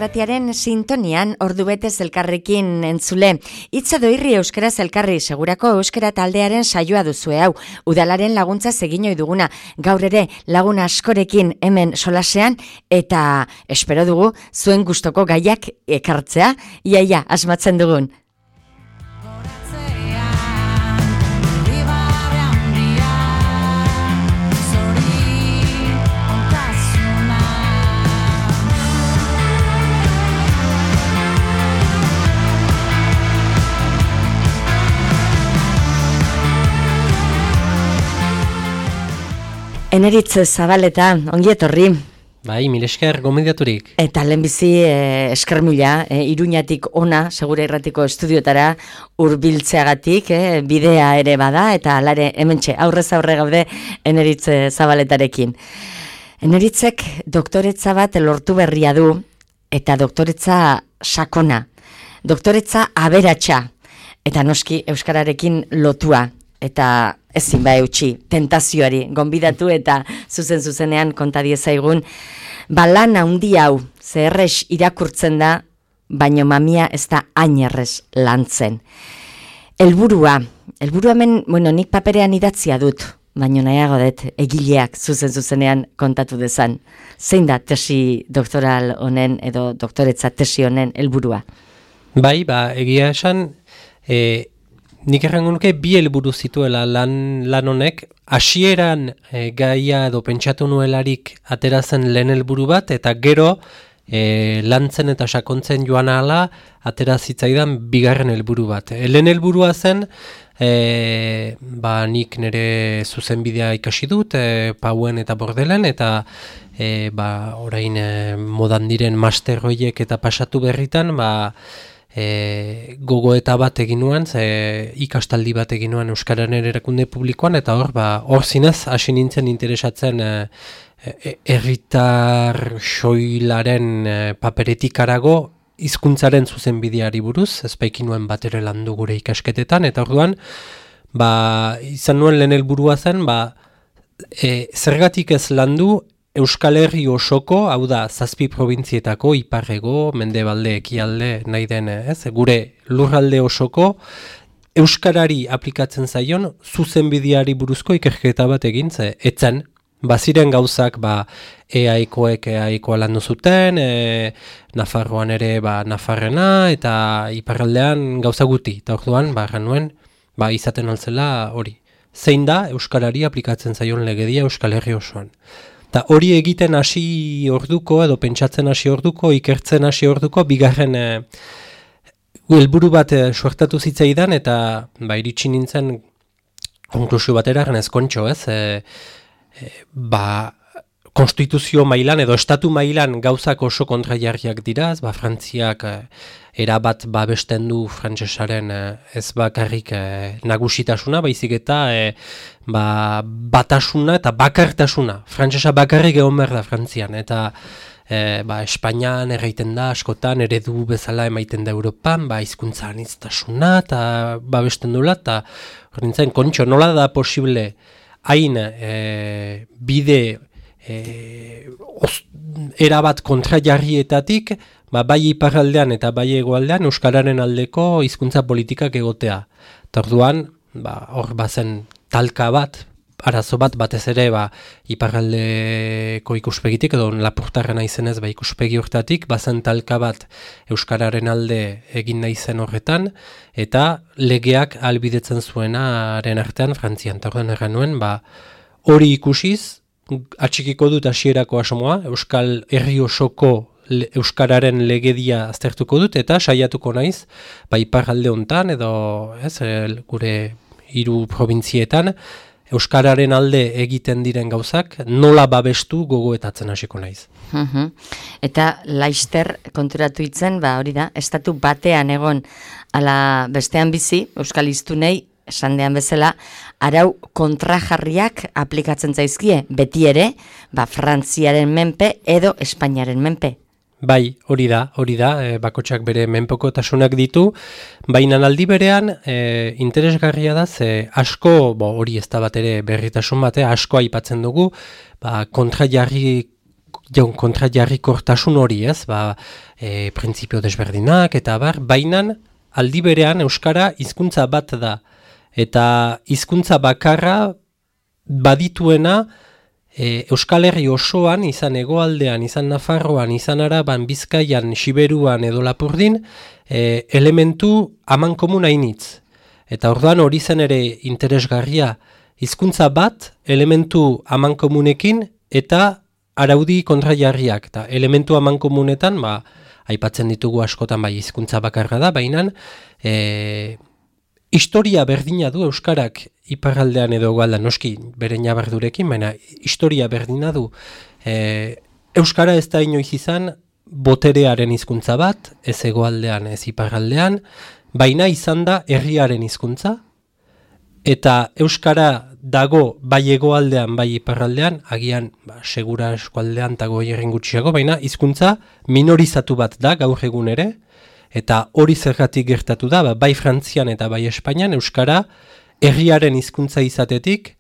Irratiaren sintonian ordu betez elkarrekin entzule. Hitz edo irri euskaraz elkarri segurako euskara taldearen saioa duzue hau. Udalaren laguntza egin ohi duguna. Gaur ere lagun askorekin hemen solasean eta espero dugu zuen gustoko gaiak ekartzea. Iaia asmatzen dugun. Eneritz Zabaleta, ongi etorri. Bai, mil esker gomendaturik. Eta lehenbizi esker mila, Iruñatik ona, Segura Irratiko estudiotara hurbiltzeagatik, bidea ere bada, eta alare hementxe aurrez aurre gaude Eneritz Zabaletarekin. Eneritzek doktoretza bat lortu berria du, eta doktoretza sakona, doktoretza aberatsa, eta noski euskararekin lotua. Eta ezin eutsi, tentazioari, gonbidatu eta zuzenean konta diezaigun, lan handi hau, zerrez irakurtzen da, baino mamia ez da ainerrez lantzen. Helburua hemen, nik paperean idatzia dut, baino nahiago dut egileak zuzenean kontatu dezan. Zein da tesi doktoral honen edo doktoretza tesi honen helburua? Bai, egia esan, nik errango nuke bi helburu zituela lan honek, hasieran gaia edo pentsatu nuelarik aterazen lehen helburu bat, eta gero lantzen eta sakontzen joan ahala atera zitzaidan bigarren helburu bat. Lehen helburua zen, nik nire zuzenbidea ikasi dut, Pauen eta Bordelen, eta orain modan diren master horiek eta pasatu berritan, gogoeta bat egin nuen, ikastaldi bat egin nuen Euskararen erakunde publikoan, eta hor zinez hasi nintzen interesatzen herritar soilaren paperetik harago hizkuntzaren zuzenbideari buruz, ez baikin nuen bat ere landu gure ikasketetan, eta orduan izan nuen lehen helburua zen, zergatik ez landu Euskal Herri osoko, hau da, 7 probintzietako, iparrego, mendebalde, ekialde, nahi den, gure lurralde osoko, euskarari aplikatzen zaion, zuzenbideari buruzko ikerketa bat egin, etzen, baziren gauzak, eaikoek eaikoa landu zuten, Nafarroan ere, Nafarrena, eta iparraldean gauza guti, eta orduan, nuen, izaten altzela hori. Zein da, euskarari aplikatzen zaion legedia Euskal Herri osoan. Eta hori egiten hasi orduko, edo pentsatzen hasi orduko, ikertzen hasi orduko, bigarren helburu bat suertatu zitzaidan, eta iritsi nintzen konklusio batera genez kontxo, konstituzio mailan edo estatu mailan gauzak oso kontrajarriak dira, Frantziak erabat babesten du frantsesaren ez bakarrik nagusitasuna, baizik eta batasuna eta bakartasuna. Frantsesa bakarrik egon behar da Frantzian, eta Espainian erraiten da, askotan eredu bezala emaiten da Europan, hizkuntza aniztasuna eta babesten dula, eta hor nintzen kontxo, nola da posible hain bide erabat kontrajarrietatik, bai iparraldean eta bai hegoaldean euskararen aldeko hizkuntza politikak egotea. Eta orduan, hor bazen talka bat, arazo bat, batez ere iparraldeko ikuspegitik, edo Lapurtarrena izenez ikuspegi hortatik, bazen talka bat euskararen alde egin nahi zen horretan, eta legeak ahalbidetzen zuenaren artean Frantzian. Eta orduan erran nuen, hori ikusiz, atxikiko dut hasierako asmoa, Euskal Herri osoko euskararen legedia aztertuko dut, eta saiatuko naiz, iparralde hontan, edo gure 3 probintzietan, euskararen alde egiten diren gauzak, nola babestu gogoetatzen hasiko naiz. Eta laister konturatu itzen, hori da, estatu batean egon, ala bestean bizi, euskal hiztunei, esan dean bezala, arau kontrajarriak aplikatzen zaizkie, beti ere, Frantziaren menpe edo Espainiaren menpe. Bai, hori da, bakotxak bere menpekotasunak ditu, baina aldi berean interesgarria da, asko, hori ez da bat ere berritasun bate, asko aipatzen dugu, kontrajarri kontrajarrikortasun hori, ez? Printzipio desberdinak eta bainan aldi berean euskara hizkuntza bat da. Eta hizkuntza bakarra badituena Euskal Herri osoan, izan Hegoaldean, izan Nafarroan, izan Araban, Bizkaian, Siberuan edo Lapurdin, elementu amankomun hainitz. Eta orduan hori zen ere interesgarria, hizkuntza bat elementu amankomunekin eta araudi kontrajarriak. Eta elementu amankomunetan, aipatzen ditugu askotan hizkuntza bakarra da, baina historia berdina du euskarak iparraldean edo hegoaldean, noski bere ñabardurekin, baina historia berdina du. Euskara ez da inoiz izan boterearen hizkuntza bat, ez hegoaldean ez iparraldean, baina izan da herriaren hizkuntza, eta euskara dago bai hegoaldean bai iparraldean, agian segura eskualdean eta goierren gutxiago, baina hizkuntza minorizatu bat da gaur egun ere, eta hori zergatik gertatu da, bai Frantzian eta bai Espainian, euskara herriaren hizkuntza izatetik,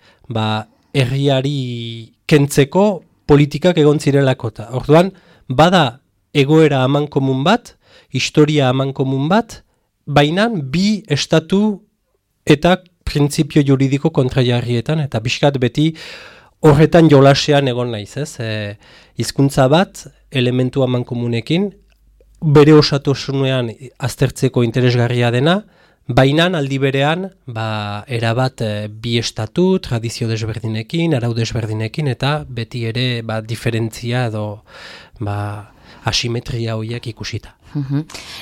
herriari kentzeko politikak egon zirelako. Orduan, bada egoera amankomun bat, historia amankomun bat, baina bi estatu eta printzipio juridiko kontrajarrietan, eta bizkat beti horretan jolasean egon naiz, ez? Hizkuntza bat, elementu amankomunekin, bere osatasunean aztertzeko interesgarria dena, baina aldi berean erabat bi estatu, tradizio desberdinekin, arau desberdinekin, eta beti ere diferentzia edo asimetria horiek ikusita.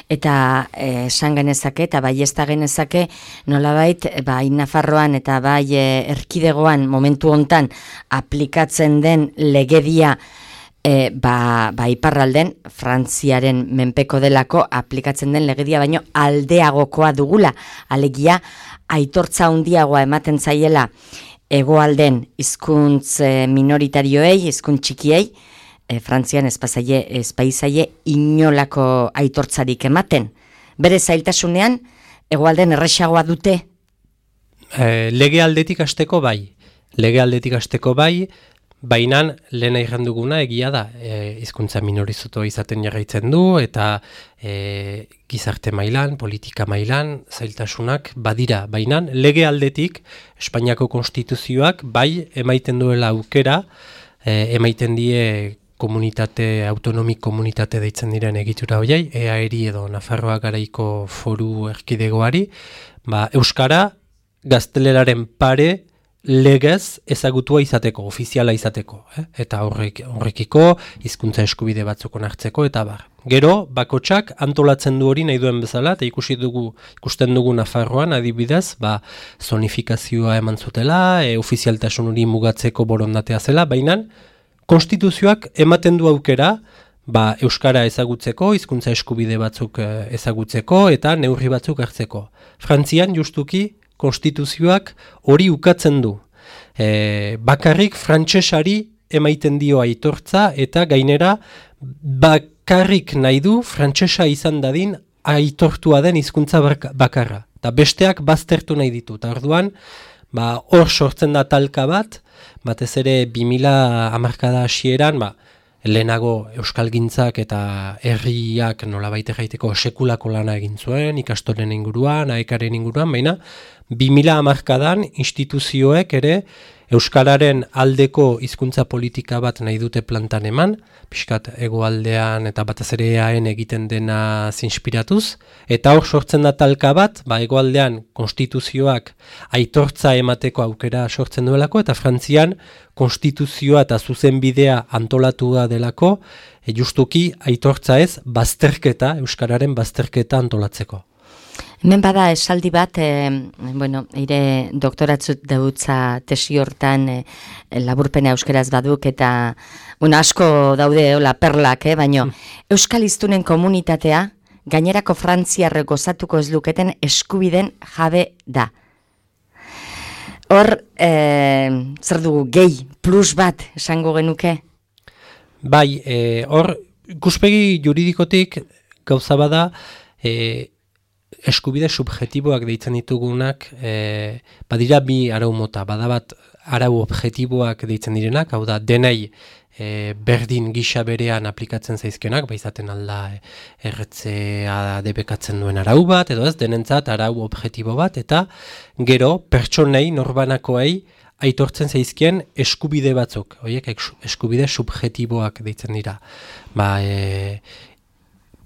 Eta esan genezake eta bai ez da genezake nolabait bai Nafarroan eta bai erkidegoan momentu hontan aplikatzen den legedia iparralden Frantziaren menpeko delako aplikatzen den legedia baino aldeagokoa dugula, alegia aitortza handiagoa ematen zaiela hegoalden hizkuntz minoritarioei, hizkuntz txikiei, Frantzian espaizaie inolako aitortzarik ematen. Bere zailtasunean hegoalden erresagoa dute? Lege aldetik hasteko bai, baina lehen aigan duguna egia da, hizkuntza minorizoto izaten jarraitzen du, eta gizarte mailan, politika mailan, zailtasunak badira. Baina lege aldetik, Espainiako konstituzioak bai emaiten duela aukera, emaiten die autonomik komunitate deitzen diren egitura horiei, EAERI edo Nafarroa garaiko foru erkidegoari, euskara gazteleraren pare legez ezagutua izateko, ofiziala izateko, eta horrekiko hizkuntza eskubide batzuk onartzeko, eta Gero, bakotsak antolatzen du hori nahi duen bezala, eta ikusten dugu Nafarroan, adibidez, zonifikazioa eman zutela, ofizialtasun hori mugatzeko borondatea zela, baina konstituzioak ematen du aukera, euskara ezagutzeko, hizkuntza eskubide batzuk ezagutzeko, eta neurri batzuk hartzeko. Frantzian, justuki, konstituzioak hori ukatzen du. Bakarrik frantsesari emaiten dio aitortza eta gainera bakarrik nahi du frantsesa izan dadin aitortua den hizkuntza bakarra. Ta besteak baztertu nahi ditu. Ta orduan, hor sortzen da talka bat, batez ere 2000 hamarkada hasieran, lehenago euskalgintzak eta herriak nolabait erraiteko sekulako lana egin zuen, ikastolen inguruan, aekaren inguruan, baina 2000 hamarkadan instituzioek ere euskararen aldeko hizkuntza politika bat nahi dute plantan eman, pixkat hegoaldean eta batez ere EAen egiten dena zinspiratuz, eta hor sortzen da talka bat, hegoaldean konstituzioak aitortza emateko aukera sortzen duelako, eta Frantzian konstituzioa eta zuzenbidea antolatua delako, justuki aitortza ez, euskararen bazterketa antolatzeko. Hemen bada esaldi bat, eire doktoratzut dautza tesi hortan laburpena euskeraz baduk eta asko daude perlak, baina euskal hiztunen komunitatea gainerako frantziarrek gozatuko ez luketen eskubiden jabe da. Hor, zer dugu, gehi, plus bat esango genuke? Bai, hor, ikuspegi juridikotik gauza bada, eskubide subjetiboak deitzen ditugunak, badira bi arau mota, bada bat arau objektiboak deitzen direnak, hau da, denei berdin gisa berean aplikatzen zaizkionak, izaten alda erretzea debekatzen duen arau bat, edo ez, denentzat arau objektibo bat, eta gero pertsonei, norbanakoei, aitortzen zaizkien eskubide batzuk, horiek eskubide subjektiboak deitzen dira.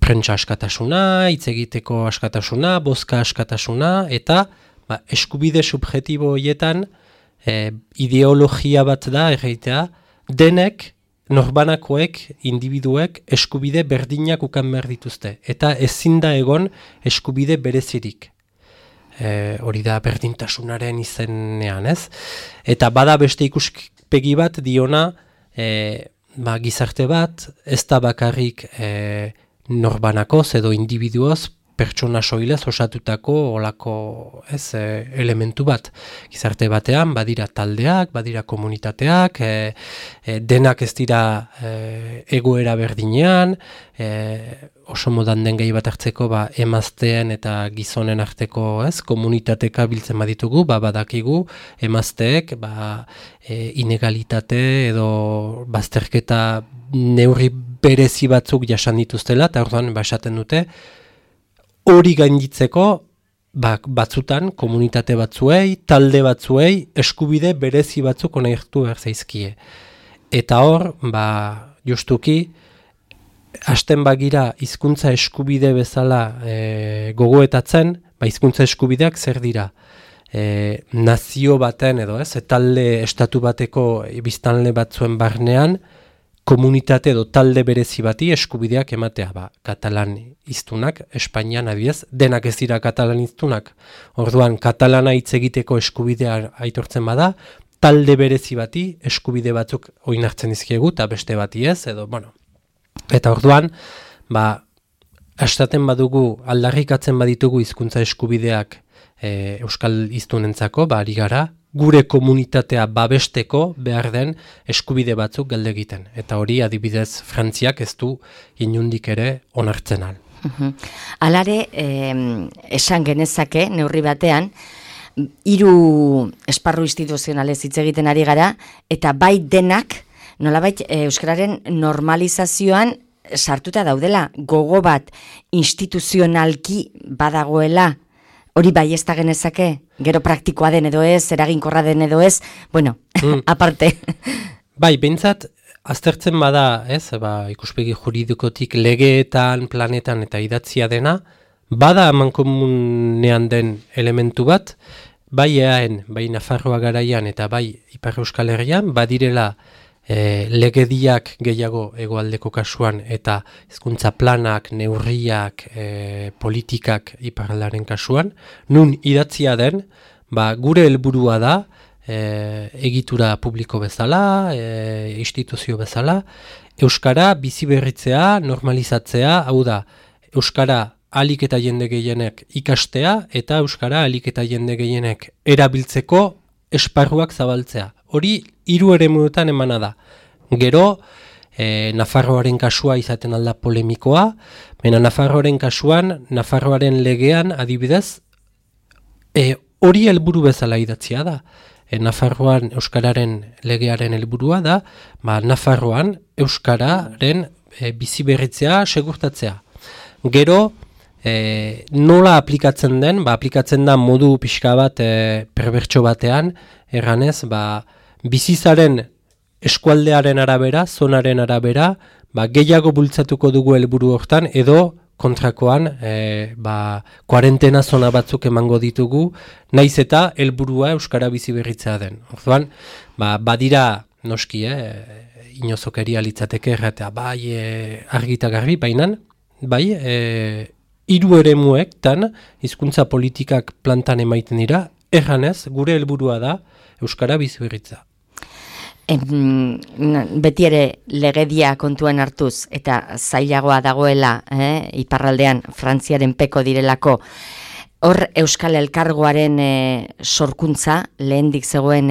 Prentsa askatasuna, hitz egiteko askatasuna, bozka askatasuna, eta eskubide subjektibo horietan ideologia bat da, erreitea, denek, norbanakoek, individuek, eskubide berdinak ukan behar dituzte. Eta ezin da egon eskubide berezirik. Hori da berdintasunaren izenean, ez? Eta bada beste ikuspegi bat diona, gizarte bat, ez da bakarrik norbanakoz edo individuoz, pertsona soilez osatutako olako elementu bat. Gizarte batean, badira taldeak, badira komunitateak, denak ez dira egoera berdinean, oso modan den gehi bat hartzeko emazteen eta gizonen arteko komunitateka biltzen baditugu, badakigu emazteek inegalitate edo bazterketa neurri berezi batzuk jasan dituztela, eta orduan esaten dute, hori gainditzeko batzutan, komunitate batzuei, talde batzuei, eskubide berezi batzuk onartu behar zaizkie. Eta hor, justuki, hasten bagira hizkuntza eskubide bezala gogoetatzen, hizkuntza eskubideak zer dira? Nazio baten edo talde estatu bateko biztanle batzuen barnean, komunitate edo talde berezi bati eskubideak ematea, katalan hiztunak, Espainian adibidez, denak ez dira katalan hiztunak. Orduan, katalana hitz egiteko eskubidea aitortzen bada, talde berezi bati eskubide batzuk oinartzen dizkiegu, eta beste bati ez, edo, Eta orduan, astaten badugu, aldarrikatzen baditugu hizkuntza eskubideak euskal hiztunentzako, ari gara, gure komunitatea babesteko behar den eskubide batzuk galde egiten. Eta hori adibidez Frantziak ez du inundik ere onartzen al. Alare, esan genezake, neurri batean, 3 esparru instituzionalez hitz egiten ari gara, eta bai denak, nolabait euskararen normalizazioan sartuta daudela, gogo bat instituzionalki badagoela, hori bai ez da genezake, gero praktikoa den edo ez, eraginkorra den edo ez, aparte. Behintzat, aztertzen bada, ikuspegi juridikotik legeetan, planetan eta idatzia dena, bada amankomunean den elementu bat, bai EAen, bai Nafarroa garaian eta bai Ipar Euskal Herrian, badirela legediak gehiago hegoaldeko kasuan eta hizkuntza planak, neurriak, politikak iparraldearen kasuan, nun idatzia den, gure helburua da, egitura publiko bezala, instituzio bezala, euskara biziberritzea, normalizatzea, hau da, euskara ahalik eta jende gehienek ikastea eta euskara ahalik eta jende gehienek erabiltzeko esparruak zabaltzea. Hori 3 eremuetan emana da. Gero, Nafarroaren kasua izaten alda polemikoa, baina Nafarroaren kasuan, Nafarroaren legean adibidez, hori helburu bezala idatzia da. Nafarroan euskararen legearen helburua da, Nafarroan euskararen biziberritzea segurtatzea. Gero, nola aplikatzen den, aplikatzen da modu pixka bat perbertso batean, erranez, bizizaren eskualdearen arabera, zonaren arabera, gehiago bultzatuko dugu helburu hortan, edo kontrakoan, kuarentena zona batzuk emango ditugu, naiz eta helburua euskara biziberritzea den. Orduan, badira noski, inozokeria litzateke erratea, argita garbi, bainan, 3 eremuektan hizkuntza politikak plantan emaiten dira, erranez, gure helburua da euskara biziberritza. Beti ere legedia kontuan hartuz eta zailagoa dagoela iparraldean Frantziaren peko direlako, hor Euskal Elkargoaren sorkuntza, lehendik zegoen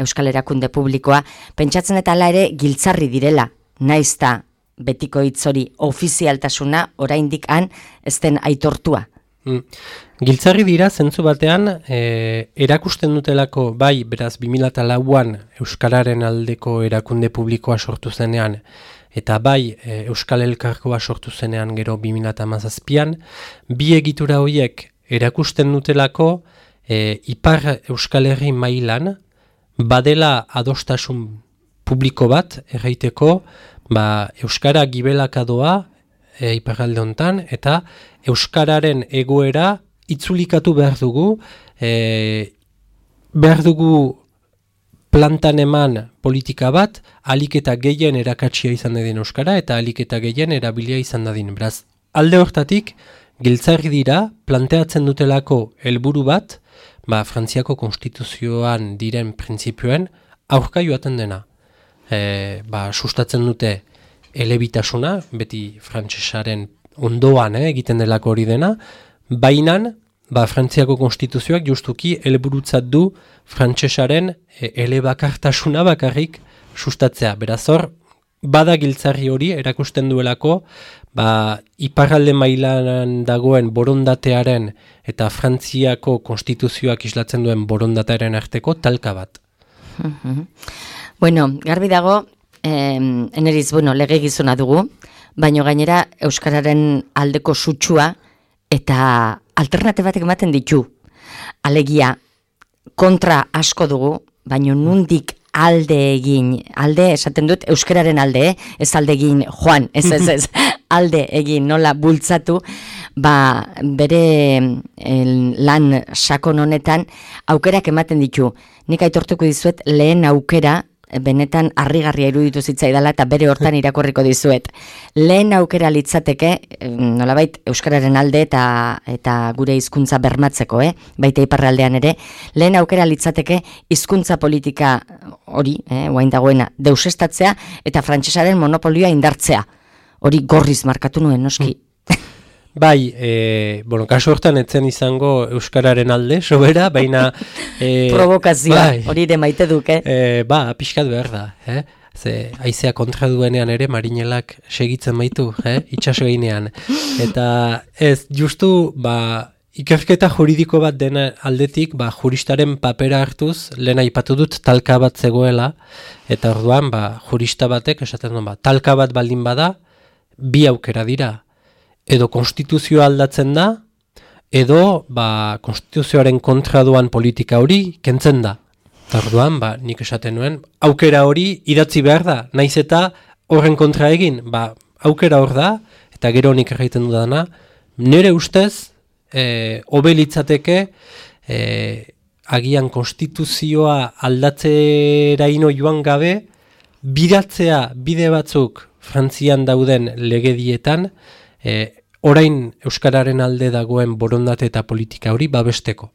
Euskal Erakunde Publikoa, pentsatzen eta hala ere giltzarri direla, naizta betiko hitz hori ofizialtasuna oraindik han ez den aitortua. Giltzarri dira, zentzu batean, erakusten dutelako, bai, beraz, 2004an Euskararen aldeko erakunde publikoa sortu zenean, eta bai, Euskal Elkargoa sortu zenean gero 2017an, bi egitura horiek erakusten dutelako, Ipar Euskal Herri mailan, badela adostasun publiko bat, erraiteko, Euskara gibelaka doa, iparralde hontan, eta Euskararen egoera itzulikatu behar dugu plantan eman politika bat, alik eta gehien erakatsia izan dadin Euskara, eta alik eta gehien erabilia izan dadin. Beraz, alde hortatik, Giltzarri dira, planteatzen dutelako helburu bat, Frantziako konstituzioan diren printzipioen aurka joaten dena. Sustatzen dute elebitasuna, beti frantsesaren ondoan egiten delako hori dena, bainan, Frantziako konstituzioak justuki helburutzat du frantsesaren elebakartasuna bakarrik sustatzea. Beraz hor, bada Giltzarri hori erakusten duelako, iparralde mailan dagoen borondatearen eta Frantziako konstituzioak islatzen duen borondatearen arteko talka bat. Bueno, garbi dago, eneriz, lege gizona dugu, baino gainera Euskararen aldeko sutsua eta alternatibatek ematen ditu. Alegia, kontra asko dugu, baino nundik alde egin, alde esaten dut Euskararen alde, ez alde egin joan, ez, alde egin nola bultzatu, bere lan sakon honetan aukerak ematen ditu. Nik aitortuko dizuet lehen aukera, benetan harrigarria iruditu zitzaidala eta bere hortan irakurriko dizuet. Lehen aukera litzateke, nolabait Euskararen alde eta gure hizkuntza bermatzeko, baita iparraldean ere, lehen aukera litzateke hizkuntza politika hori, guain dagoena, deusestatzea eta frantsesaren monopolioa indartzea. Hori gorriz markatu nuen, noski. Bai, kasu hortan etzen izango Euskararen alde, sobera, baina... Provokazioa, hori ere maite duke. Pixkat behar da, Ze haizea kontra duenean ere marinelak segitzen baitu, itxaso gainean. Eta ez, justu, ikerketa juridiko bat dena aldetik, juristaren papera hartuz, lehen aipatu dut talka bat zegoela, eta orduan, jurista batek esaten duen, talka bat baldin bada, bi aukera dira. Edo konstituzioa aldatzen da, edo konstituzioaren kontra doan politika hori kentzen da. Orduan, nik esaten nuen, aukera hori idatzi behar da, naiz eta horren kontra egin, aukera hor da, eta gero nik egiten dudana, nire ustez, hobe litzateke, agian konstituzioa aldatzeraino joan gabe, bidatzea bide batzuk Frantzian dauden legedietan, orain Euskararen alde dagoen borondate eta politika hori babesteko.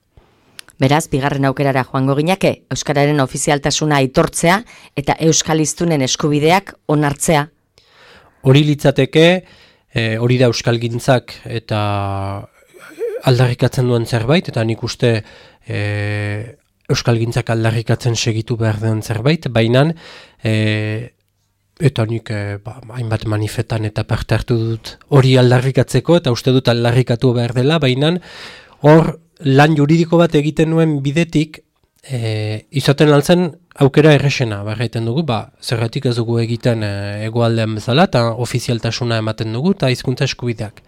Beraz, bigarren aukerara joango ginake, Euskararen ofizialtasuna aitortzea eta euskaliztunen eskubideak onartzea. Hori litzateke, hori da euskalgintzak eta aldarrikatzen duen zerbait, eta nik uste euskalgintzak aldarrikatzen segitu behar den zerbait, baina eta nik hainbat manifetan eta parte hartu dut hori aldarrikatzeko, eta uste dut aldarrikatu behar dela, baina hor lan juridiko bat egiten nuen bidetik, izaten altzen aukera erresena, barraiten dugu, zergatik ez dugu egiten hegoaldean bezala, eta ofizialtasuna ematen dugu, eta hizkuntza eskubideak.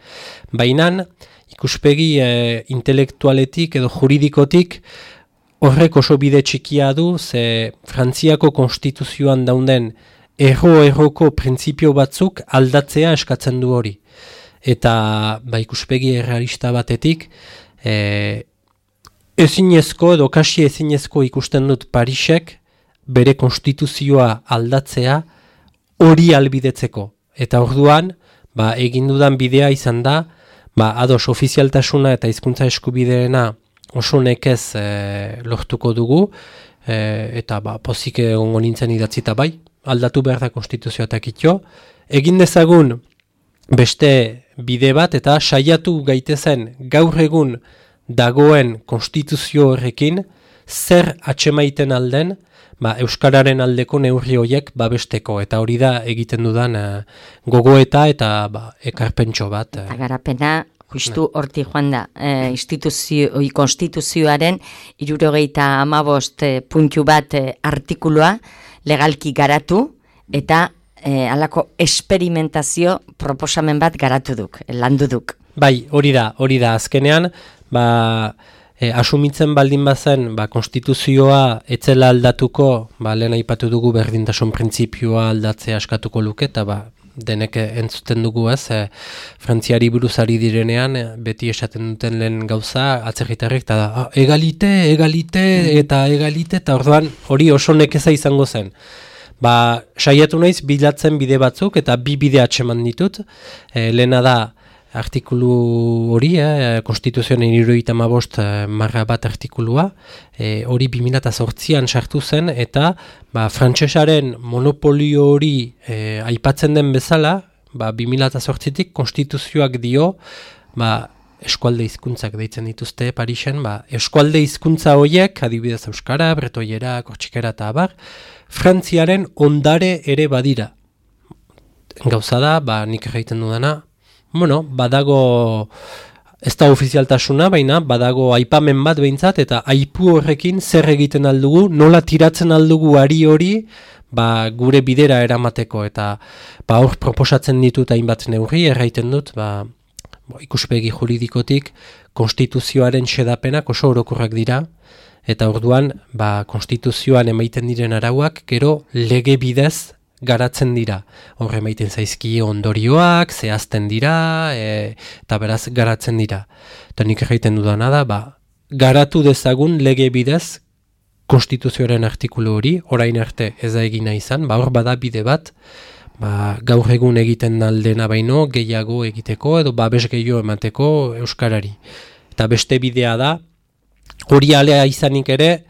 Baina ikuspegi intelektualetik edo juridikotik horrek oso bide txikia du, ze Frantziako konstituzioan daunden erroko printzipio batzuk aldatzea eskatzen du hori. Eta ikuspegi errealista batetik, ezinezko edo kasi ezinezko ikusten dut Parisek bere konstituzioa aldatzea hori albidetzeko. Eta orduan, egin dudan bidea izan da, ados ofizialtasuna eta hizkuntza eskubideena oso nekez lortuko dugu, eta pozik egongo nintzen idatzita aldatu behar da konstituzioa eta kitxo. Egin dezagun beste bide bat eta saiatu gaitezen gaur egun dagoen konstituzio horrekin zer atxemaiten alden Euskararen aldeko neurri horiek babesteko. Eta hori da egiten dudan gogoeta eta ekarpentxo bat. Eta garapena justu horti joan da, konstituzioaren 75 puntu bat artikulua legalki garatu eta halako esperimentazio proposamen bat garatu duk, landu duk. Bai, hori da, azkenean, asumitzen baldin bazen, konstituzioa etzela aldatuko, lehen aipatu dugu berdintasun printzipioa aldatzea askatuko luke, eta denek entzuten dugu Frantziari buruz ari direnean, beti esaten duten lehen gauza, atzerritarrek, eta egalite, eta orduan hori oso nekeza izango zen. Saiatu naiz bilatzen bide batzuk, eta bi bide atseman ditut, lehena da, artikulu hori, Konstituzioaren 75/1 artikulua, hori 2008an sartu zen, eta frantsesaren monopolio hori aipatzen den bezala, 2008tik Konstituzioak dio, eskualde hizkuntzak deitzen dituzte Parisen, eskualde hizkuntza horiek, adibidez euskara, bretoiera, kortxikera eta abar, Frantziaren ondare ere badira. Gauza da, nik egiten dudana, badago, ez da ofizialtasuna, baina badago aipamen bat behintzat, eta aipu horrekin zer egiten aldugu, nola tiratzen aldugu ari hori, gure bidera eramateko, eta hor proposatzen ditut hainbat neurri, erraiten dut, ikuspegi juridikotik, konstituzioaren xedapenak oso orokorrak dira, eta orduan, konstituzioan emaiten diren arauak, gero lege bidez garatzen dira. Horre emaiten zaizki ondorioak, zehazten dira, eta beraz garatzen dira. Eta nik egiten dudana da, garatu dezagun lege bidez konstituzioaren artikulu hori, orain arte ez da egina izan, hor bada bide bat, gaur egun egiten aldena baino, gehiago egiteko, edo babes gehiago emateko euskarari. Eta beste bidea da, hori alea izanik ere,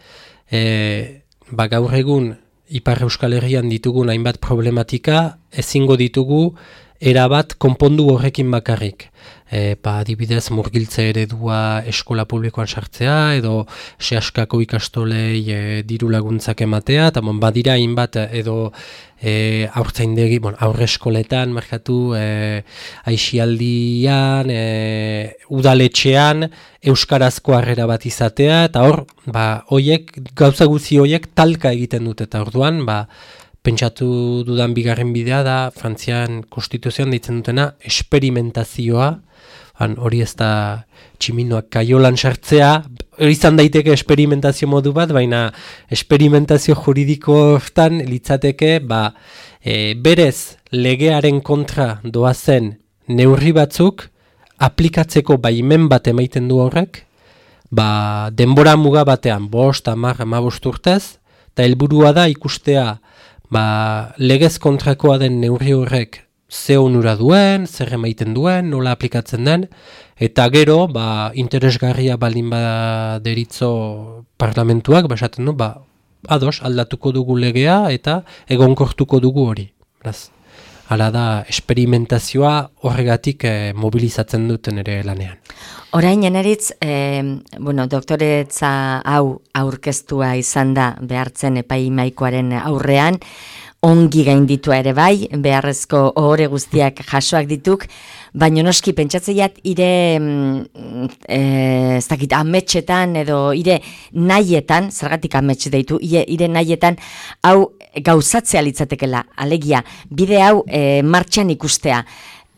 gaur egun Ipar Euskal Herrian ditugun hainbat problematika, ezingo ditugu erabat konpondu horrekin bakarrik. Adibidez murgiltze eredua eskola publikoan sartzea, edo sehaskako ikastolei diru laguntzak ematea, eta badira hainbat edo aurtzaindegi, aurre eskoletan, markatu, aixialdian, udaletxean, euskarazko harrera bat izatea, eta hor, gauza guzi horiek talka egiten dute, eta orduan, pentsatu dudan bigarren bidea da, Frantzian konstituzioan deitzen dutena, esperimentazioa, hori ez da tximinoak kaiolan sartzea, hori izan daiteke esperimentazio modu bat, baina esperimentazio juridiko hortan litzateke, berez legearen kontra doazen neurri batzuk, aplikatzeko baimen bat emaiten du horrek, denbora muga batean, 5, 10, 15 urtez, eta helburua da ikustea, legez kontrakoa den neurri horrek ze onura duen, zer emaiten duen, nola aplikatzen den, eta gero, interesgarria baldin baderitzo parlamentuak, esaten du, ados, aldatuko dugu legea, eta egonkortuko dugu hori. Hala da, esperimentazioa horregatik mobilizatzen duten ere lanean. Orain, eneritz, doktoretza hau aurkeztua izan da behartzen epaimaikoaren aurrean, ongi gainditua ere bai, beharrezko ohore guztiak jasoak dituk, baina noski pentsatzeiat ire ametxetan edo ire nahietan, zergatik amets deitu, ire nahietan hau gauzatzea litzatekela, alegia, bide hau martxan ikustea.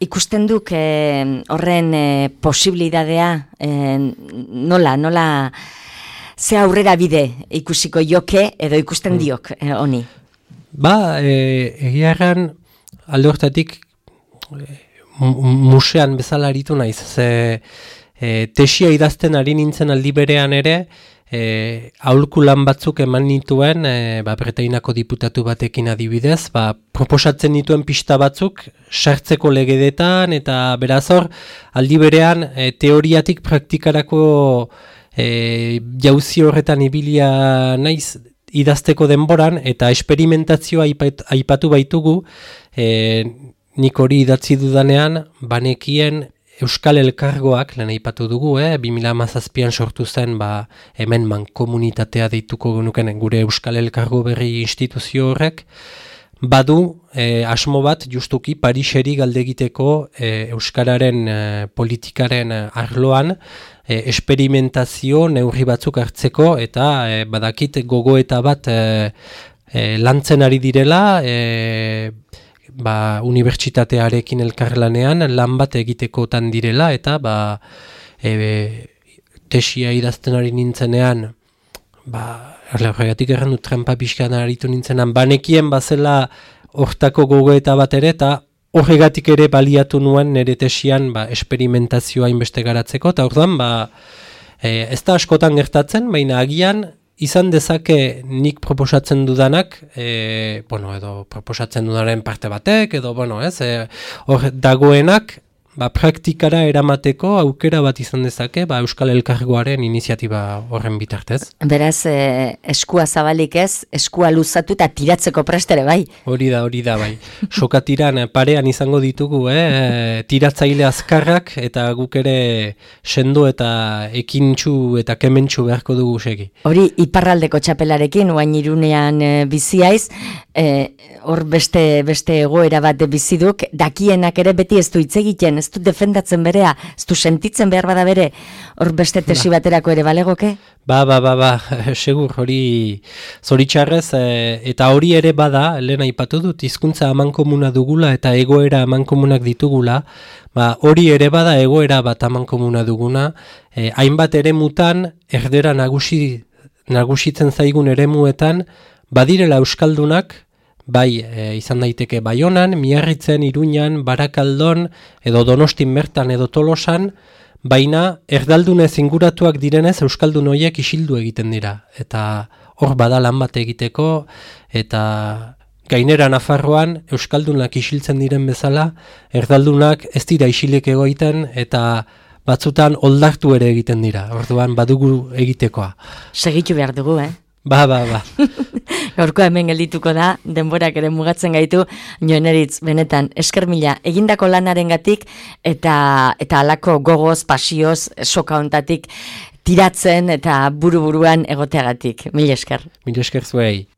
Ikusten duk horren posibilidadea nola ze aurrera bide ikusiko joke edo ikusten diok honi? Egiarran alde hortatik musean bezala aritu naiz. Tesia idazten ari nintzen aldi berean ere, aholkulan batzuk eman nituen, Bretainako diputatu batekin adibidez, proposatzen nituen pista batzuk sartzeko legedetan, eta beraz hor, aldi berean teoriatik praktikarako jauzi horretan ibilia naiz idazteko denboran, eta esperimentazioa aipatu baitugu, nik hori idatzi dudanean, banekien Euskal Elkargoak, lehen aipatu dugu, 2017an sortu zen, hemen mankomunitatea deituko genuken gure Euskal Elkargo berri instituzio horrek, badu asmo bat justuki Pariseri galdegiteko euskararen politikaren arloan esperimentazio neurri batzuk hartzeko eta badakit gogoeta bat lantzen ari direla unibertsitatearekin elkarlanean lan bat egitekotan direla eta tesia idazten ari nintzenean horregatik errandu trampa pixkan aritu nintzenan banekien bazela hortako gogoeta bat ere eta horregatik ere baliatu nuen nire tesian esperimentazioa inbeste garatzeko eta orduan ez da askotan gertatzen, baina agian izan dezake nik proposatzen dudanak, edo proposatzen dudaren parte batek, edo hor dagoenak praktikara eramateko aukera bat izan dezake Euskal Elkargoaren iniziatiba horren bitartez. Beraz, eskua zabalik ez, eskua luzatu eta tiratzeko prestere bai. Hori da bai. Sokatiran parean izango ditugu, tiratzaile azkarrak eta guk ere sendo eta ekintxu eta kementxu beharko dugu segi. Hori iparraldeko txapelarekin, oain Irunean biziaiz, hor beste egoera bat biziduk, dakienak ere beti ez du hitz egiten, ez du defendatzen berea, ez du sentitzen behar bada bere, hor beste tesi baterako ere balegoke? Segur, hori zoritxarrez, eta hori ere bada, lehen aipatu dut, hizkuntza amankomuna dugula eta egoera amankomunak ditugula, hori ere bada egoera bat amankomuna duguna, hainbat eremutan, erdera nagusitzen zaigun eremuetan, badirela euskaldunak, izan daiteke Baionan, Miarritzen, Iruñan, Barakaldon, edo Donostin bertan edo Tolosan, baina erdaldunez inguratuak direnez euskaldun horiek isildu egiten dira. Eta hor bada lan bat egiteko, eta gainera Nafarroan euskaldunak isiltzen diren bezala, erdaldunak ez dira isilik egoiten, eta batzutan oldartu ere egiten dira. Orduan badugu egitekoa. Segitu behar dugu, Gaurkoa hemen geldituko da, denborak ere mugatzen gaitu, Joaneritz, benetan, esker mila, egindako lanarengatik eta halako gogoz, pasioz, soka hontatik tiratzen eta buru-buruan egoteagatik. Mila esker. Mila esker zuei.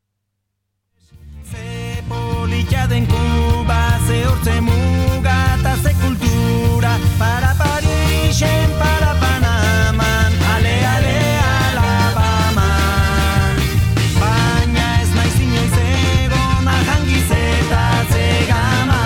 Ze politia den Kuba, ze hortze muga eta ze kultura, para Parisen, para Panaman, ale, Alabaman. Baina ez naiz inoiz egon ahangiz eta zegaman.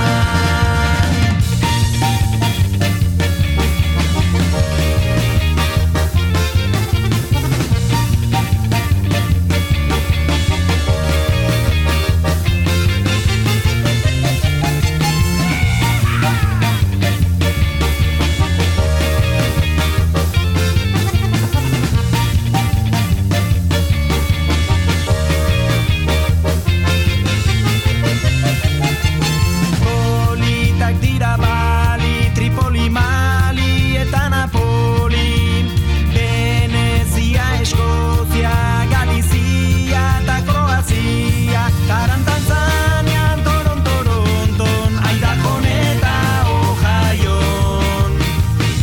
Politak dira Bali, Tripoli, Mali eta Napoli, Venezia, Eskozia, Galizia eta Kroazia, Karan, Tanzanian, Toronton, Idaho eta Ohioan.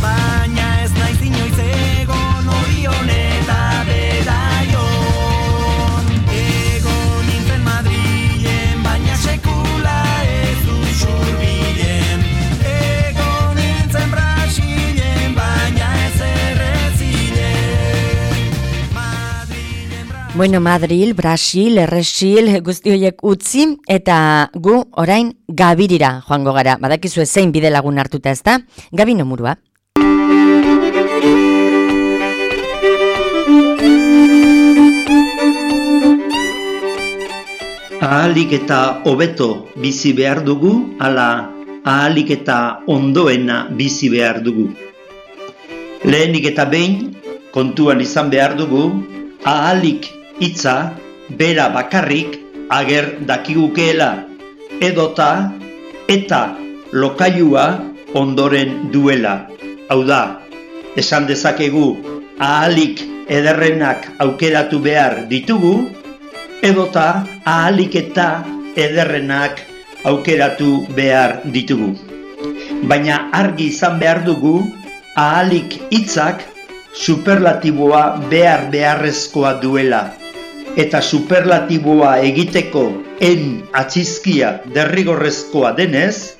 Baina ez naiz inoiz egon Orion eta Bedaion. Egon nintzen Madrilen, baina sekula ez du xurbilen. Egon nintzen Brasilen, baina ez errezilen. Bueno, Madril, Brasil, Erresil, guzti horiek utzi, eta gu orain Gabirira joango gara. Badakizu zein bide lagun hartuta ez da? Gabi nomurua. Ahalik eta hobeto bizi behar dugu, ala ahalik eta ondoena bizi behar dugu. Lehenik eta behin, kontuan izan behar dugu, ahalik hitza bera bakarrik ager dakigukeela, edota eta lokailua ondoren duela. Hau da, esan dezakegu ahalik ederrenak aukeratu behar ditugu, edota ahalik eta ederrenak aukeratu behar ditugu. Baina argi izan behar dugu, ahalik hitzak superlatiboa beharrezkoa duela. Eta superlatiboa egiteko en atxizkia derrigorrezkoa denez,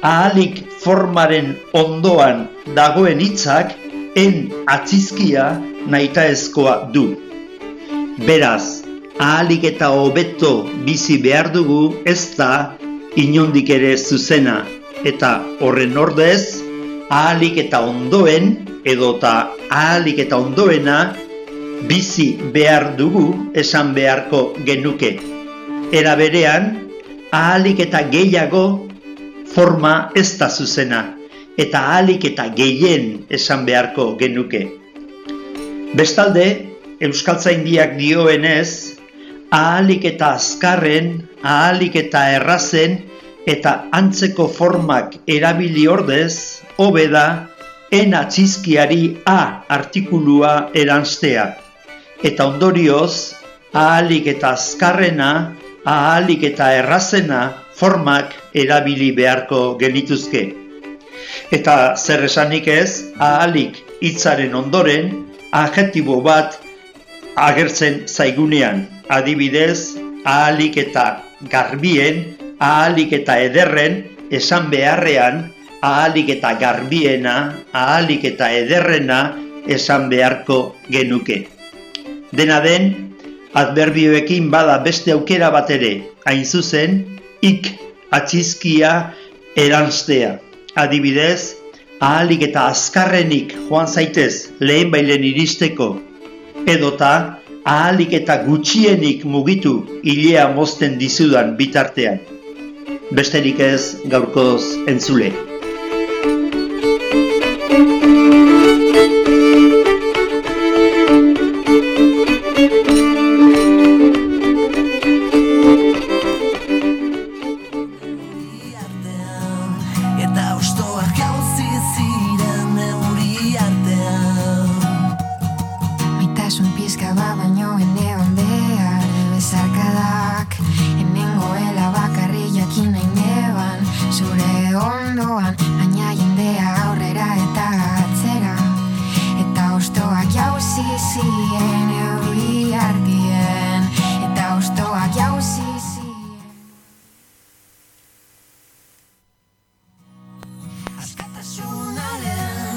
ahalik formaren ondoan dagoen hitzak en atxizkia nahitaezkoa du. Beraz, ahalik eta hobeto bizi behar dugu ez da inondik ere zuzena, eta horren ordez, ahalik eta ondoen edota ahalik eta ondoena bizi behar dugu esan beharko genuke. Era berean, ahalik eta gehiago forma ez da zuzena, eta ahalik eta gehien esan beharko genuke. Bestalde, Euskaltzaindiak dioenez, ahalik eta azkarren, ahalik eta errazen, eta antzeko formak erabili ordez, hobe da, en atxizkiari a artikulua eranstea. Eta ondorioz, ahalik eta azkarrena, ahalik eta errazena formak erabili beharko genituzke. Eta zer esanik ez, ahalik hitzaren ondoren, adjektibo bat agertzen zaigunean. Adibidez, ahalik eta garbien, ahalik eta ederren, esan beharrean, ahalik eta garbiena, ahalik eta ederrena esan beharko genuke. Dena den, adverbioekin bada beste aukera bat ere, hain zuzen, ik atxizkia eranstea. Adibidez, ahalik eta azkarrenik joan zaitez lehenbailen iristeko, edota ahalik eta gutxienik mugitu ilea mozten dizudan bitartean. Besterik ez gaurkoz entzule.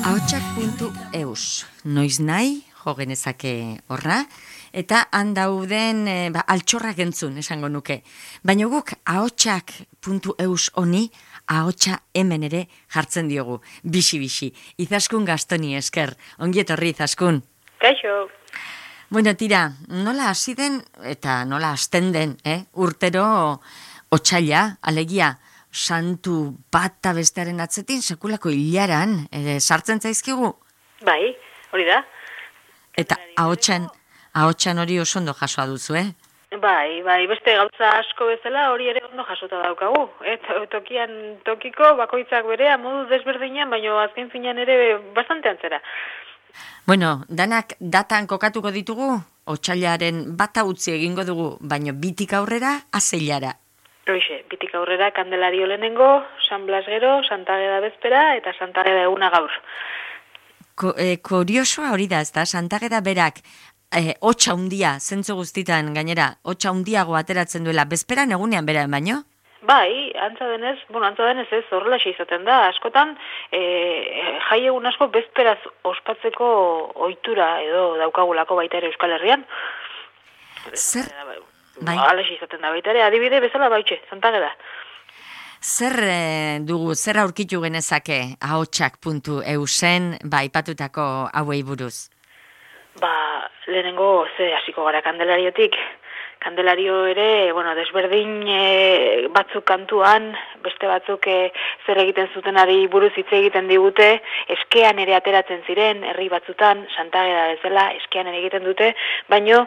Ahotsak.eus, noiz nahi, jo genezake horra, eta handauden altxorrak entzun, esango nuke. Baina guk ahotsak.eus honi, ahotsa hemen ere jartzen diogu, bixi-bixi. Izaskun Gastoni esker, ongi etorri Izaskun. Kaixo. Bueno, tira, nola hasi den eta nola hasten den, urtero otsaila, alegia, santu bata bestearen atzetin, sekulako hilaran, sartzen zaizkigu? Bai, hori da. Eta ahotsan hori oso ondo jasoa duzu, Bai, beste gauza asko bezala hori ere ondo jasota daukagu. Tokiko bakoitzak berea modu desberdinean, baina azken finean ere bastante antzera. Bueno, danak datan kokatuko ditugu, otsailaren bata utzi egingo dugu, baina bitik aurrera, azeilara. Hoxe, bitik aurrera Kandelario lehenengo, San Blas gero, Santa Ageda bezpera eta Santa Ageda eguna gaur. Kuriosoa hori da, ezta? Santa Ageda berak hotsa hundia, zentzu guztitan gainera, hotsa hundiago ateratzen duela, bezperan egunean bera baino? Bai, antza denez ez, horrela izaten da. Askotan, jai egun asko bezperaz ospatzeko ohitura edo daukagulako baita ere Euskal Herrian. Zer? Bai. Alaxe izaten da baita ere, adibide bezala baitxe, Santa Ageda. Zer aurkitu genezake ahotsak.eusen aipatutako hauei buruz? Lehenengo hasiko gara Kandelariotik. Kandelario ere, desberdin batzuk kantuan, beste batzuk zer egiten zutenari buruz hitz egiten digute, eskean ere ateratzen ziren, herri batzutan, Santa Ageda bezala, eskean ere egiten dute, baino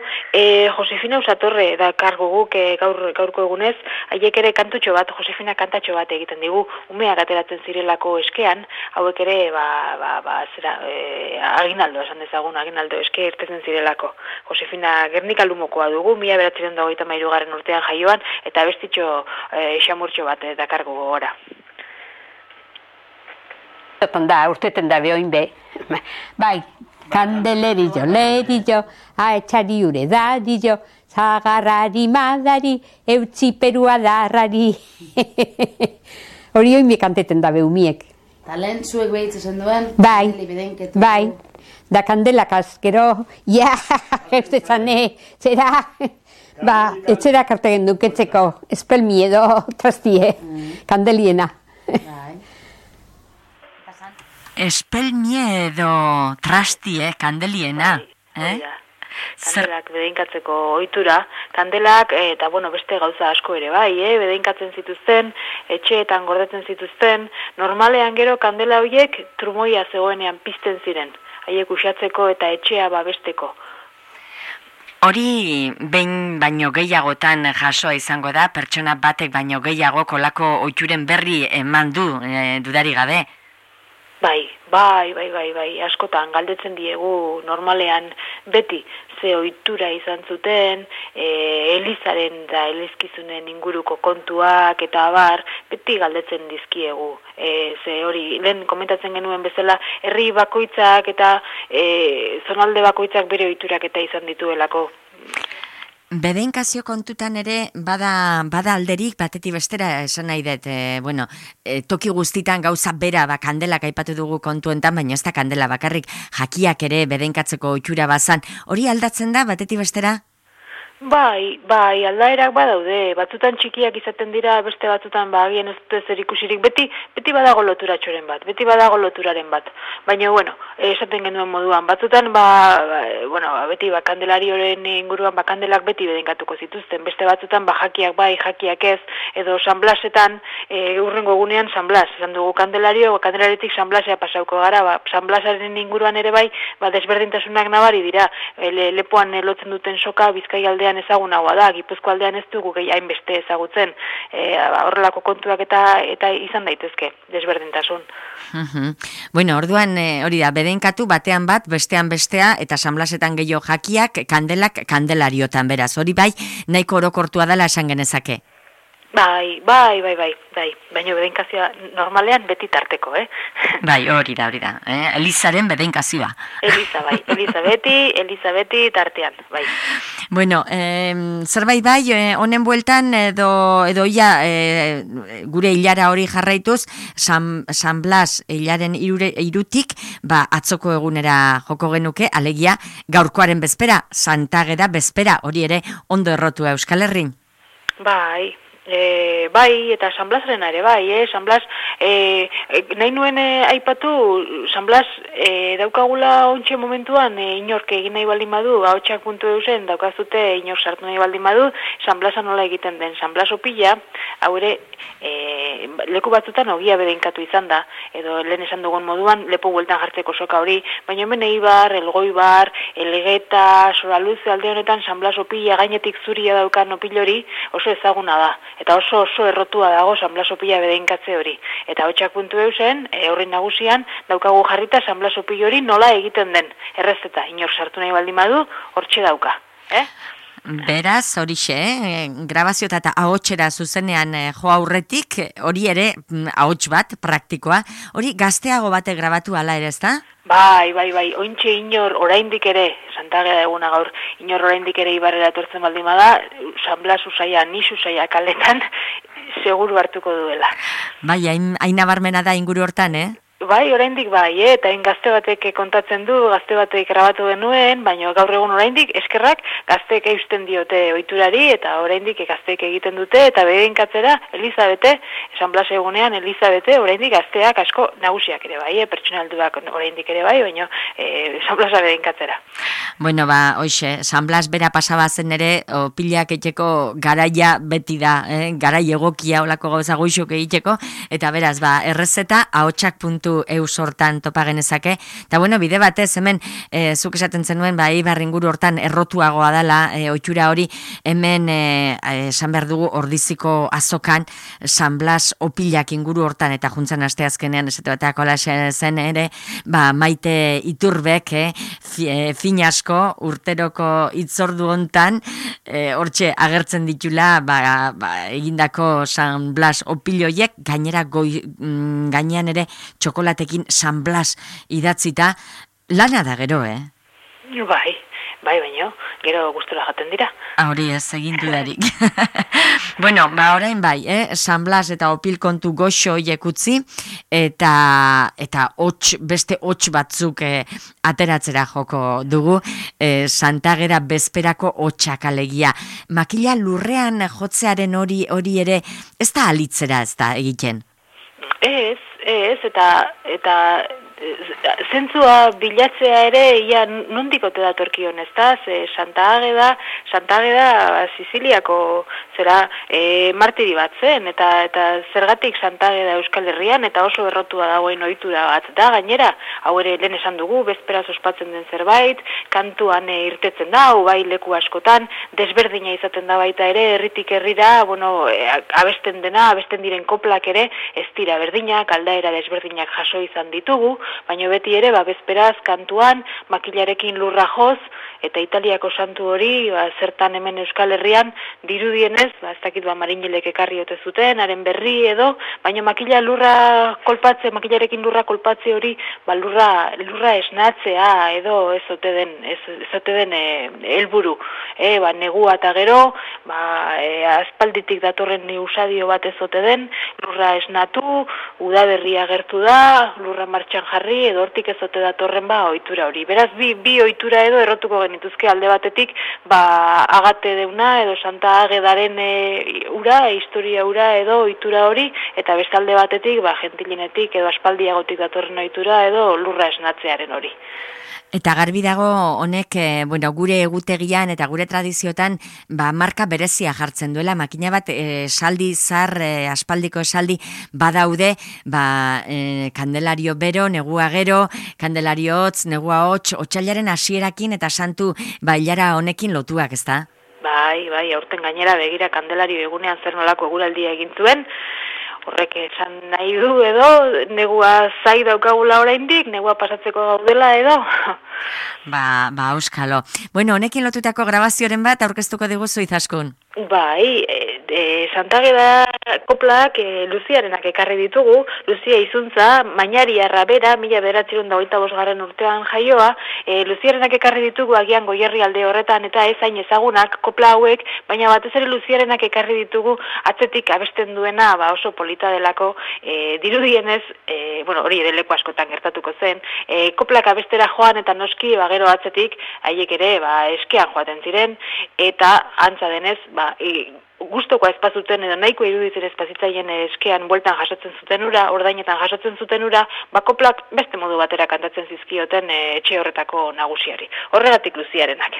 Josefina Usatorre da kargo guk gaurko egunez, haiek ere kantutxo bat, Josefina kantatxo bat egiten digu, umeak ateratzen zirelako eskean, hauek ere, aginaldo, esan dezagun, aginaldo eske irtetzen zirelako. Josefina Gernika Lumokoa dugu, 1993 urtean jaioan, eta bestitxo xamurtxo bat dakargo gogora. Urteten da behoin be. Bai, kandelerillo, lerillo, etxari ure darillo, zagarrari madari, eutzi perua darrari. Hori oin be kanteten da behumiek. Eta lehen zuek behitze zen duen? Bai. Da kandelak azkero, ez zane, zera, etxera karte genduketzeko, espelmi edo trastie, kandeliena. Espelmi edo trastie, kandeliena. Kandelak bedeinkatzeko ohitura, kandelak eta beste gauza asko ere bai, bedeinkatzen zituzten, etxeetan gordetzen zituzten, normalean gero kandela horiek trumoia zegoenean pizten ziren, haiek uxatzeko eta etxea babesteko. Hori behin baino gehiagotan jasoa izango da, pertsona batek baino gehiago kolako ohituren berri eman du, dudari gabe. Bai, askotan galdetzen diegu normalean beti ze ohitura izan zuten, elizaren da elizkizunen inguruko kontuak eta abar, beti galdetzen dizkiegu. Ze hori, lehen komentatzen genuen bezala, herri bakoitzak eta zonalde bakoitzak bere ohiturak eta izan dituelako. Bedeinkazio kontutan ere bada alderik batetik bestera esan nahi dut, toki guztitan gauza bera kandelak aipatu dugu kontuentan, baina ez da kandela bakarrik, jakiak ere bedeinkatzeko ohitura bazan, hori aldatzen da batetik bestera? Bai, aldaerak badaude, batzutan txikiak izaten dira, beste batzutan agian ez dute zer ikusirik, beti badago loturatxoren bat, beti badago loturaren bat. Baina, esaten genuen moduan, batzutan, beti kandelarioren inguruan kandelak beti bedeinkatuko zituzten, beste batzutan jakiak bai, jakiak ez, edo San Blasetan, urrengo egunean San Blas, esan dugu kandelariotik San Blasea pasauko gara, San Blasaren inguruan ere bai, desberdintasunak nabari dira, lepoan lotzen duten soka, Bizkai aldean ezagunagoa da, Gipuzko aldean ez dugu hainbeste ezagutzen, horrelako kontuak eta izan daitezke, desberdintasun. Orduan hori da, bedeinkatu batean bat, bestean bestea, eta San Blasetan gehiago jakiak, kandelak kandelariotan beraz, hori bai, nahiko orokortua dela esan genezake. Bai, baina bedeinkazioa normalean beti tarteko, Bai, hori da, Elizaren bedeinkazioa. Eliza beti tartean, bai. Zerbait bai, honen bueltan edo gure hilara hori jarraituz, San Blas hilaren irutik, atzoko egunera joko genuke, alegia gaurkoaren bezpera, Santageda bezpera, hori ere ondo errotua Euskal Herrin. Bai, eta San Blasaren ere bai, San Blas, nahi nuen aipatu, San Blas daukagula ontxe momentuan, inork egin nahi baldin badu, ahotsak.eusen daukazute inork sartu nahi baldin badu, San Blasa nola egiten den, San Blas opila, hau ere, leku batzutan ogia bedeinkatu izan da, edo lehen esan dugun moduan, lepo bueltan jartzeko soka hori, baina hemen Eibar, Elgoibar, Elgeta, Soraluze alde honetan San Blas opila gainetik zuria daukan opil hori oso ezaguna da. Eta oso errotua dago San Blas opila bedeinkatze hori. Eta ahotsak.eusen, horri nagusian, daukagu jarrita San Blas opil hori nola egiten den. Errezeta, inor sartu nahi baldin badu, hortxe dauka. Beraz, horixe, grabazio eta ahotsera zuzenean jo aurretik, hori ere ahots bat, praktikoa, hori gazteago bate grabatu ala ere, ezta? Bai, ointxe inor oraindik ere, Santageda eguna gaur, inor oraindik ere Ibarrera etortzen baldin bada, San Blas usaia, nis usaia kaletan, seguru hartuko duela. Bai, hain nabarmena da inguru hortan, Bai, oraindik bai, eta gazte batek kontatzen du, gazte batek grabatu genuen, baina gaur egun oraindik eskerrak gazteek eusten diote ohiturari, eta oraindik gazteek egiten dute, eta bedeinkatzera Elizabete, San Blas egunean Elizabete, oraindik gazteak asko nagusiak ere bai, pertsonalduak oraindik ere bai, baina San Blasa bedeinkatzera. Hoxe, San Blas bera pasaba zen ere, opilak egiteko garaia beti da, garai egokia olako gauza goixok egiteko, eta beraz, errezeta, ahotsak.eus hortan topa genezake, eta bide batez, hemen, zuk esaten zenuen, Eibar inguru hortan errotuagoa dela, ohitura hori, hemen, esan behar dugu, ordiziko azokan, San Blas opilak inguru hortan, eta juntzan asteazkenean, esate bateako zen ere, Maite Iturbek, Finas asko urteroko itzordu hontan, hortxe agertzen ditula egindako San Blas opiloiek, gainera gainean ere txokolatekin San Blas idatzita, lana da gero, Bai, baino, gero gustura jaten dira. Hori ez, egin dudarik. Bueno, orain bai, San Blas eta opil kontu goxo horiek utzi, eta beste hots batzuk ateratzera joko dugu, Santagera bezperako hotsak alegia. Makila lurrean jotzearen hori ere, ez da alitzera ez da egiten? Ez, eta zentzua bilatzea ere, ia nondik ote datorkion, ez da? Santa Ageda Siziliako martiri bat zen, eta zergatik Santa Ageda Euskal Herrian, eta oso errotua dagoen ohitura bat da, gainera, hau ere lehen esan dugu, bezperaz ospatzen den zerbait, kantuan irtetzen da, bai leku askotan, desberdina izaten da baita ere, herritik herrira, abesten diren koplak ere, ez dira berdinak, aldaera desberdinak jaso izan ditugu, baina beti ere, bezperaz kantuan, makilarekin lurra joz, eta Italiako santu hori, zertan hemen Euskal Herrian, dirudienez, ez dakit marinilek ekarri ote zuten, haren berri edo, baina makilarekin lurra kolpatze hori, lurra esnatzea edo ez ote den helburu. Negua eta gero, aspalditik datorren usadio bat ez ote den, lurra esnatu, udaberria gertu da, lurra martxan jarri, edo hortik ez ote datorren ohitura hori. Beraz, bi ohitura edo errotuko genituzke alde batetik, Agate deuna edo Santa Agedaren historia ura edo ohitura hori, eta beste alde batetik, gentilinetik edo aspaldiagotik datorren ohitura edo lurra esnatzearen hori. Eta garbi dago honek, gure egutegian eta gure tradiziotan, marka berezia jartzen duela, makina bat esaldi zar, aspaldiko esaldi badaude, Kandelario bero, negua gero, Kandelario hotz, negua hots, otsailaren hasierakin eta santu bailara honekin lotuak, ezta? Bai, aurten gainera begira Kandelario egunean zer nolako eguraldia egin zuen, horrek esan nahi du edo, negua zai daukagula oraindik, negua pasatzeko gaudela edo. Auskalo. Honekin lotutako grabazioaren bat aurkeztuko diguzu Izaskun. Bai, Santa Ageda koplak Luziarenak ekarri ditugu, Luzia izuntza, Mainariarra bera, 1925 urtean jaioa, Luziarenak ekarri ditugu agian Goierri alde horretan eta ez hain ezagunak kopla hauek, baina batez ere Luziarenak ekarri ditugu atzetik abesten duena oso polita delako, dirudienez, hori ere leku askotan gertatuko zen, koplak abestera joan eta noski gero atzetik haiek ere eskean joaten ziren, eta antza denez, gustokoa espazuten edo nahiko iruditzen espazitzaien eskean bueltan jasotzen zuten ura, ordainetan jasotzen zuten ura, koplak beste modu batera kantatzen zizkioten etxe horretako nagusiari. Horregatik Luziarenak.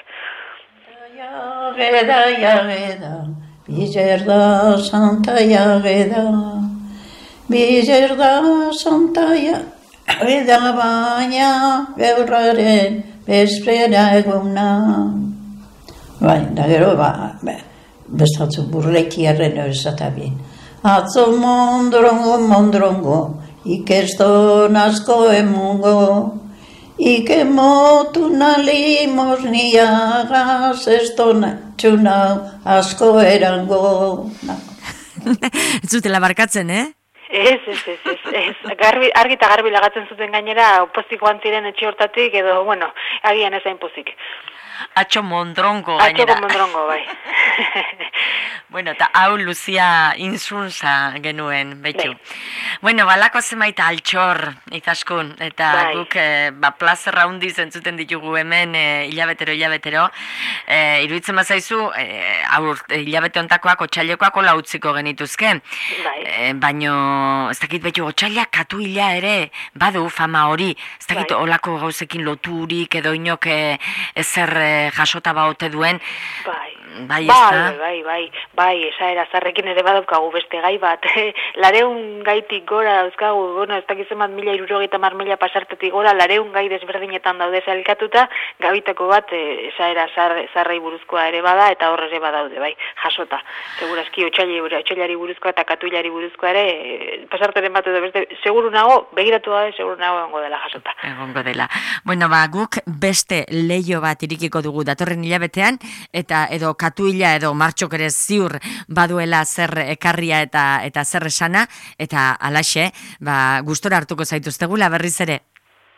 Jageda, bizerda Santa Jageda, bizerda Santa Jageda, baina gaurraren bezpera eguna. Da gero, bestatzu burlekiarren esatabien. Atzo mondrongo, ikeston asko emungo, ikemotu nalimos niagaz, estona txunau asko erango. Ez zutela barkatzen, Ez. Argi eta garbi lagatzen zuten gainera, pozik joan ziren etxe hortatik, edo, agian ezain pozik. Atxo mondrongo, gainera. Atxo mondrongo, bai. Eta hau Luzia inzuntza genuen, betxu. Balako zemaita altxor, Izaskun, eta guk plazerra hundi zentzuten ditugu hemen hilabetero. Iruditzen bazaizu, hilabete ontakoak, otsailekoak hola utziko genituzke. Baina, ez dakit betxu, otsailak katu hila ere, badu fama hori, ez dakit olako gauzekin loturik edo inok ezer jasota baote duen, Bai, ezta? Bai, esaera zarrekin ere badaukagu beste gai bat. 200 gaitik gora dauzkagu, bueno, ez dakizen bat 1.070.000 pasartetik gora, 200 gai desberdinetan daude zailkatuta, gabitako bat esaera zarrei buruzkoa ere bada, eta horre ere badaude, bai, jasota. Segurazki otxailari buruzkoa eta katuilari buruzkoa ere, pasarteren bat edo beste, seguru nago, begiratu gabe, seguru nago egongo dela jasota. Egongo dela. Bueno, guk beste leio bat irikiko dugu datorren hilabetean, eta edo katuila edo martxok ere ziur baduela zer ekarria eta zer esana, eta alaxe, gustora hartuko zaituztegula berriz ere.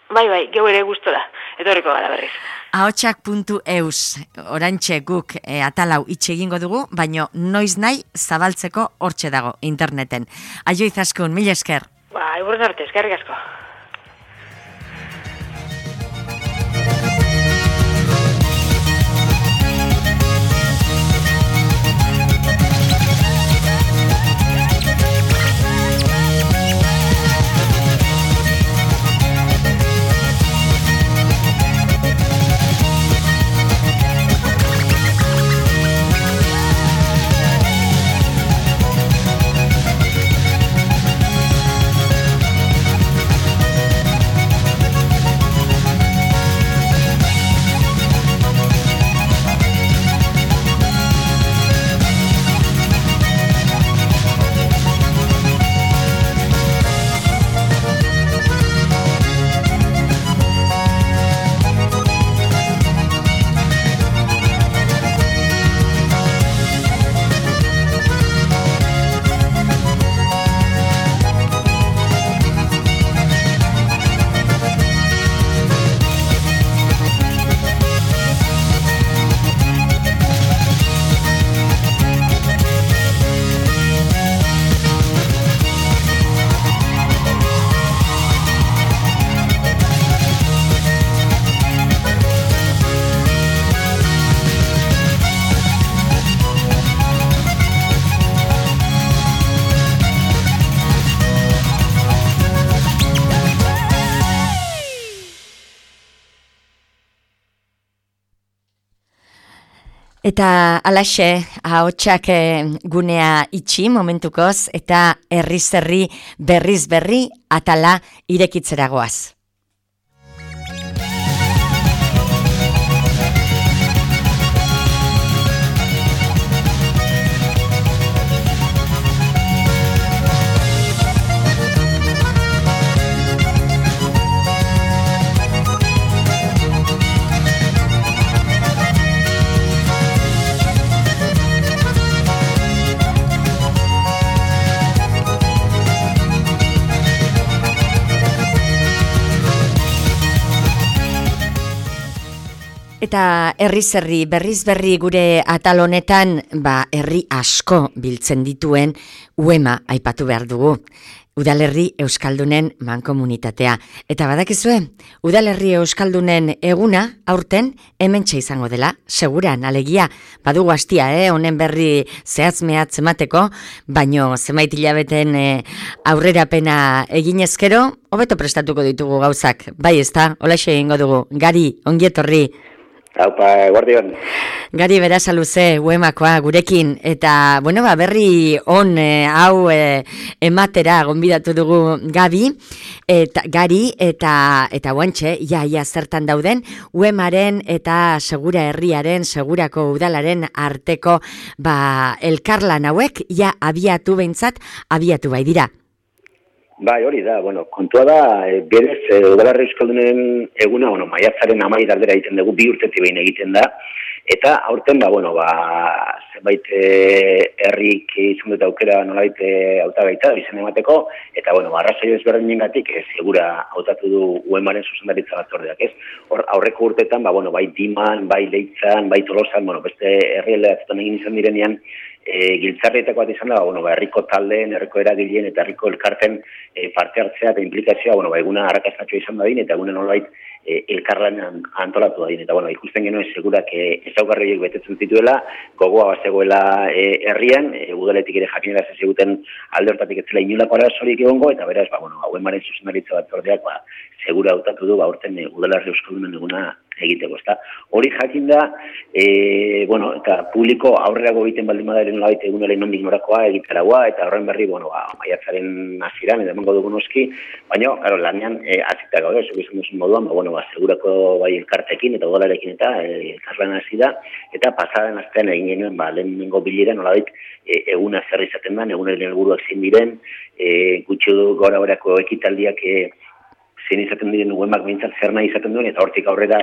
Bai, geu ere gustora, etorriko gara berriz. Ahotsak.eus, orantxe guk atalau itxe egingo dugu, baino noiz nahi zabaltzeko hortxe dago interneten. Aio izaskun, mila esker. Eguren arte, eskerrik asko. Eta alaxe, ahotsak gunea itxi momentukoz, eta herriz herri berriz berri atala irekitzeragoaz. Eta herriz herri, berriz berri gure atal honetan, herri asko biltzen dituen UEMA aipatu behar dugu. Udalerri Euskaldunen mankomunitatea. Eta badakizue, Udalerri Euskaldunen eguna aurten hementxe izango dela, seguran, alegia, badugu hastia, honen berri zehatz-mehatz emateko, baino zenbait hilabeten aurrerapena eginezkero, hobeto prestatuko ditugu gauzak. Bai, ezta, holaxe egingo dugu. Gari, ongietorri. Haupa, guardion. Gari Berasaluze, UEMakoa gurekin, eta, berri on hau ematera gonbidatu dugu Gari, eta guantxe, ia zertan dauden, UEMaren eta Segura Herriaren, Segurako Udalaren arteko, elkarlan hauek, abiatu bai dira. Bai, hori da, kontua da, berez, Udalerri Euskaldunen eguna, maiatzaren 12 aldera egiten dugu, 2 urtetik behin egiten da, eta aurten, zenbait herrik izan dut aukera nolait hautagaitza izan emateko, eta, arrazoi ezberdinengatik segura hautatu du UEMaren zuzendaritza batzordeak, ez? Hor, aurreko urtetan, bai Diman, bai Leitzan, bai Tolosan, beste herrialdeetan egin izan direnean, giltzarrietako bat izan da, herriko taldeen, herriko eragileen eta herriko elkarten parte hartzea eta implikazioa, eguna arrakastatxoa izan dadin, eta eguna nolait elkarlanean antolatu dadin. Eta, ikusten genuen segurak ezaugarriek betetzen zituela, gogoa bazegoela herrian, udaletik ere jakinera zeziguten alde hortatik ez zela inolako arazorik egongo, eta beraz, UEMaren zuzendaritza batzordeak, segura hautatu du, aurten Udalerri Euskaldunen eguna egiteko, ezta. Hori jakin da, bueno, eta publiko aurrerago egiten baldin badaren nolabait egunaren nondik norakoa egitaragoa, eta horren berri, bueno, maiatzaren hasieran edo emango dugu noski, baina, claro, lanean hasita gaude, zuk izan duzun moduan, bueno, segurako bai elkartekin eta udalarekin eta elkarlan hasi da, eta pasaden astean egin genuen, lehenengo bilera nolabait eguna zer izaten da, egunaren helburuak zein diren, gutxi gora horako ekitaldiak zein izaten diren uemak behintzat zer nahi izaten duen, eta hortik aurrera,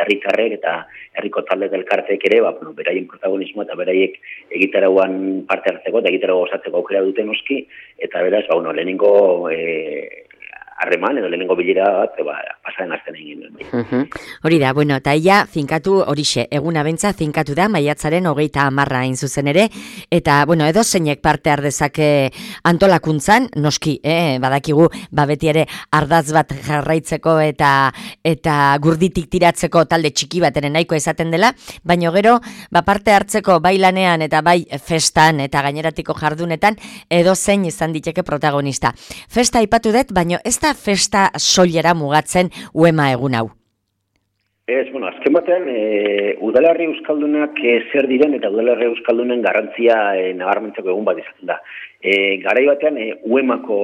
herritarrek eta herriko talde elkarteek ere, beraien protagonismoa eta beraiek egitarauan parte hartzeko eta egitarau osatzeko aukera duten noski, eta beraz, lehenengo harreman edo lehenengo bilera bat, pasaren azten egin duen. Hori da, bueno, eta ia finkatu horixe, eguna bentza finkatu da, maiatzaren 30 hain zuzen ere, eta, bueno, edo zeinek parte ardezake antolakuntzan, noski, badakigu, beti ere ardaz bat jarraitzeko eta gurditik tiratzeko talde txiki bat ere nahiko izaten dela, baina gero, parte hartzeko bai lanean eta bai festan eta gaineratiko jardunetan, edo zein izan diteke protagonista. Festa aipatu dut, baina ez da festa soilera mugatzen uema egun hau? Ez, bueno, azken batean, udalerri euskaldunak zer diren eta udalerri euskaldunen garrantzia nabarmentzeko egun bat izaten da. Garai batean, uemako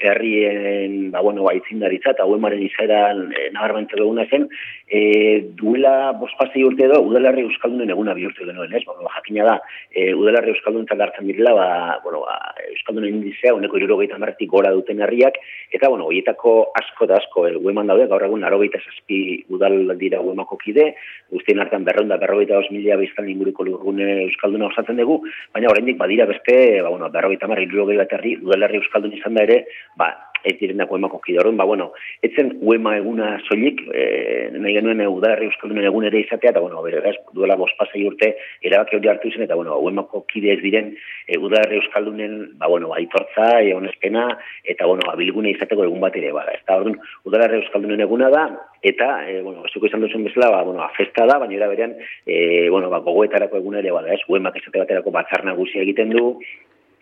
herrien, itzindaritza eta uemaren izaeran nabarmentzeko eguna zen, duela 5-6 urte edo udalerri euskaldunen eguna bihurtu genuen, ez? Jakina da, udalerri euskalduntzak hartzen direla, euskaldunen indizea, 70% gora duten herriak, eta, horietako asko da asko, ueman daude, gaur egun 97 udal dira uemako kide, guztien hartan 242.000 biztan inguruko lurgune euskalduna osatzen dugu, baina oraindik badira beste, 50-60 bat herri, udalerri euskaldun izan da ere, ez direndako uemako kide horren, etzen uema eguna soilik, nahi genuen udalerri euskaldunen egun ere izatea, eta, beraz, duela 5-6 urte erabaki hori hartu zen, eta, uemako kide ez diren udalerri euskaldunen, aitortza, onespena, eta, bilgune izateko egun bat ere, ez da, orduan, udalerri euskaldunen eguna da, eta, zuko izan duzuen bezala, festa da, baina era berean, gogoetarako egun ere, ez, uemak esate baterako batzar nagusia egiten du,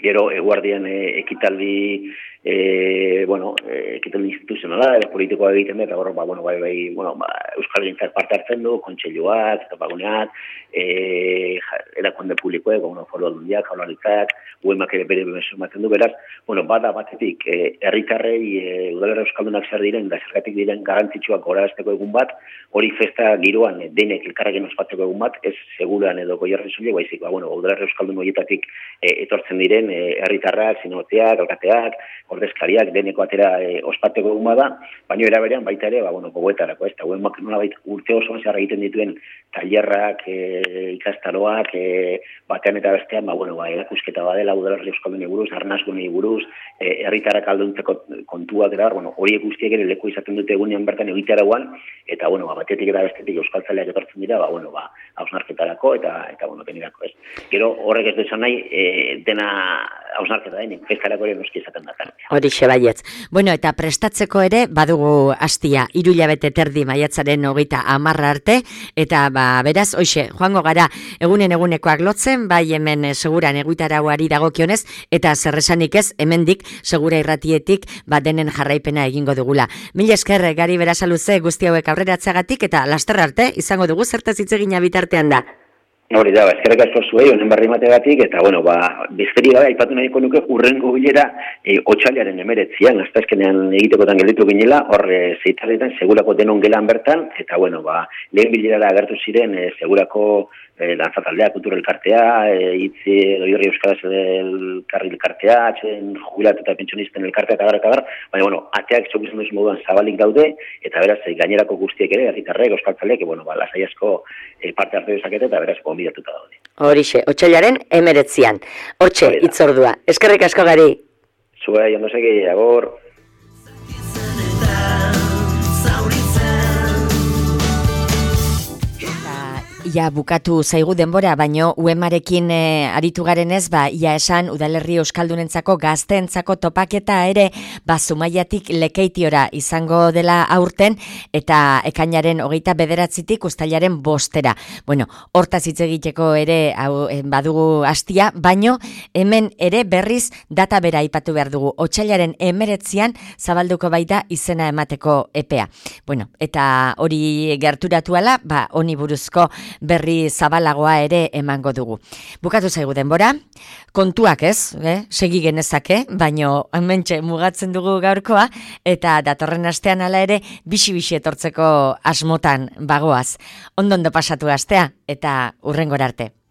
gero eguardian ekitaldi instituzionala, politikoa egiten da, eta gero, Euskal Gintzak parte hartzen du, kontseiluak, topaguneak, erakunde publikoek, foru aldundiak, jaurlaritzak, uemak ere bere ematen du, beraz, bada batetik, herritarrei udalerri euskaldunak zer diren, da zergatik diren garrantzitsuak gorazteko egun bat, hori festa giroan denek elkarrekin ospatzeko egun bat, ez seguran edo goierri zuile, baizik, udalerri euskaldun horietatik etortzen diren herritarrak, zinotzeak, alkateak, ordezkariak deneko atera ospatzeko egun bada, baina eraberean baita ere, gogoetarako, ez da, nolabait urte osoan zehar egiten dituen tailerrak, ikastaroak, batean eta bestean, erakusketa badela udalerri euskaldunei buruz, arnasgunei buruz, herritarrak alduntzeko kontuak eta, horiek guztiek ere leku izaten dute egunean bertan egitarauan, eta, batetik eta bestetik euskaltzaleak etortzen dira, hausnarketarako eta denerako, ez. Gero horrek ez duzan nahi, dena hausnarketa denik, festarako ere noski izaten da. Horixe baietz. Bueno, eta prestatzeko ere, badugu hastia, 3 hilabete terdi maiatzaren 30 arte, eta beraz, hoxe, joango gara egunekoak lotzen, bai hemen seguran eguitarauari dagokionez, eta zerresanik ez, hemendik segura irratietik, denen jarraipena egingo dugula. Mila esker, Gari Berasaluze, guzti hauek aurreratzeagatik, eta laster arte, izango dugu zertaz hitz egina bitartean da. Hori da, eskerrik asko zuei, honen berri mategatik, eta, bizkeri gabe, aipatu nahiko nuke, urrengo bilera otsailaren 19an, aztazkenean egitekotan gelditu ginela, hor zeitarretan, segurako denon gelan bertan, eta, lehen bilerara agertu ziren, segurako dantzataldea, kultura elkartea, hitzi doiorri euskaraz elkartea, atxen jubilatu eta pentsionisten elkartea, eta gara, baina, ateak txok izan duzun moduan zabalik daude, eta beraz, gainerako guztiek ere, herritarrek, euskaltzaleek, lasai asko parte hartu dezakete, eta beraz, gonbidatuta daude. Horixe, otsailaren 19an. Hortxe, hitzordua. Eskerrik asko, Gari. Zuei, ondo segi, agor. Ia bukatu zaigu denbora, baino UEMarekin aritu garenez, ia esan udalerri euskaldunentzako gazteentzako topaketa ere Zumaiatik Lekeitiora izango dela aurten eta ekainaren 29tik uztailaren 5. Bueno, hortaz hitz egiteko ere badugu hastia, baino hemen ere berriz data bera aipatu behar dugu. Otsailaren 19an zabalduko baita izena emateko epea. Bueno, eta hori gerturatu ala, honi buruzko berri zabalagoa ere emango dugu. Bukatu zaigu denbora, kontuak ez, segi genezake, baino hementxe mugatzen dugu gaurkoa, eta datorren astean hala ere bixi-bixi etortzeko asmotan bagoaz. Ondo pasatu astea, eta hurrengora arte.